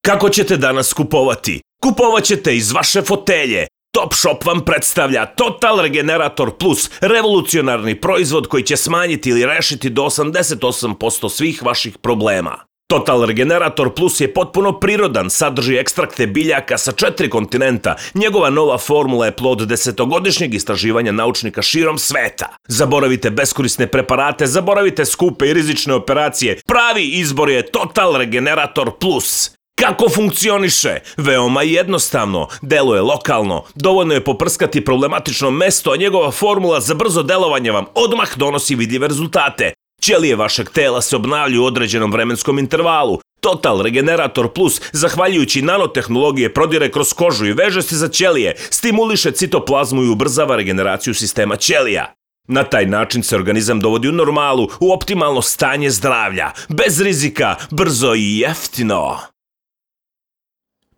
Kako ćete danas kupovati? Kupovat ćete iz vaše fotelje. Topshop vam predstavlja Total Regenerator Plus, revolucionarni proizvod koji će smanjiti ili rešiti do 88% svih vaših problema. Total Regenerator Plus je potpuno prirodan, sadrži ekstrakte biljaka sa 4 kontinenta. Njegova nova formula je plod 10-godišnjeg istraživanja naučnika širom sveta. Zaboravite beskorisne preparate, zaboravite skupe i rizične operacije. Pravi izbor je Total Regenerator Plus. Kako funkcioniše? Veoma jednostavno, deluje lokalno, dovoljno je poprskati problematično mesto, a njegova formula za brzo delovanje vam odmah donosi vidljive rezultate. Ćelije vašeg tela se obnavljaju u određenom vremenskom intervalu. Total Regenerator Plus, zahvaljujući nanotehnologije, prodire kroz kožu i veže se za ćelije, stimuliše citoplazmu i ubrzava regeneraciju sistema ćelija. Na taj način se organizam dovodi u normalu, u optimalno stanje zdravlja, bez rizika, brzo i jeftino.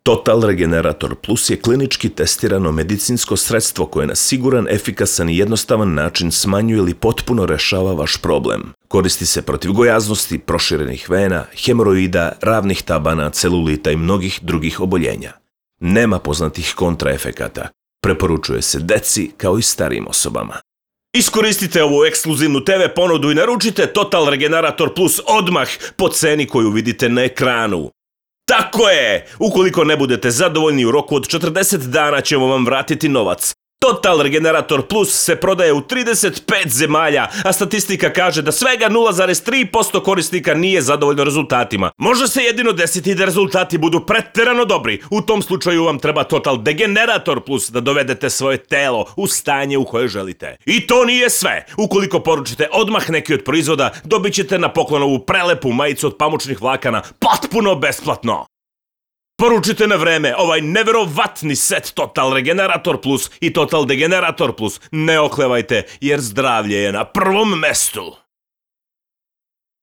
Total Regenerator Plus je klinički testirano medicinsko sredstvo koje na siguran, efikasan i jednostavan način smanjuje ili potpuno rešava vaš problem. Koristi se protiv gojaznosti, proširenih vena, hemoroida, ravnih tabana, celulita i mnogih drugih oboljenja. Nema poznatih kontraefekata. Preporučuje se deci kao i starijim osobama. Iskoristite ovu ekskluzivnu TV ponudu i naručite Total Regenerator Plus odmah po ceni koju vidite na ekranu. Tako je! Ukoliko ne budete zadovoljni u roku od 40 dana ćemo vam vratiti novac. Total Regenerator Plus se prodaje u 35 zemalja, a statistika kaže da svega 0,3% korisnika nije zadovoljno rezultatima. Može se jedino desiti da rezultati budu preterano dobri. U tom slučaju vam treba Total Degenerator Plus da dovedete svoje telo u stanje u koje želite. I to nije sve. Ukoliko poručite odmah neki od proizvoda, dobit ćete na poklon ovu prelepu majicu od pamučnih vlakana potpuno besplatno. Poručite na vreme ovaj neverovatni set Total Regenerator Plus i Total Degenerator Plus. Ne oklevajte jer zdravlje je na prvom mestu.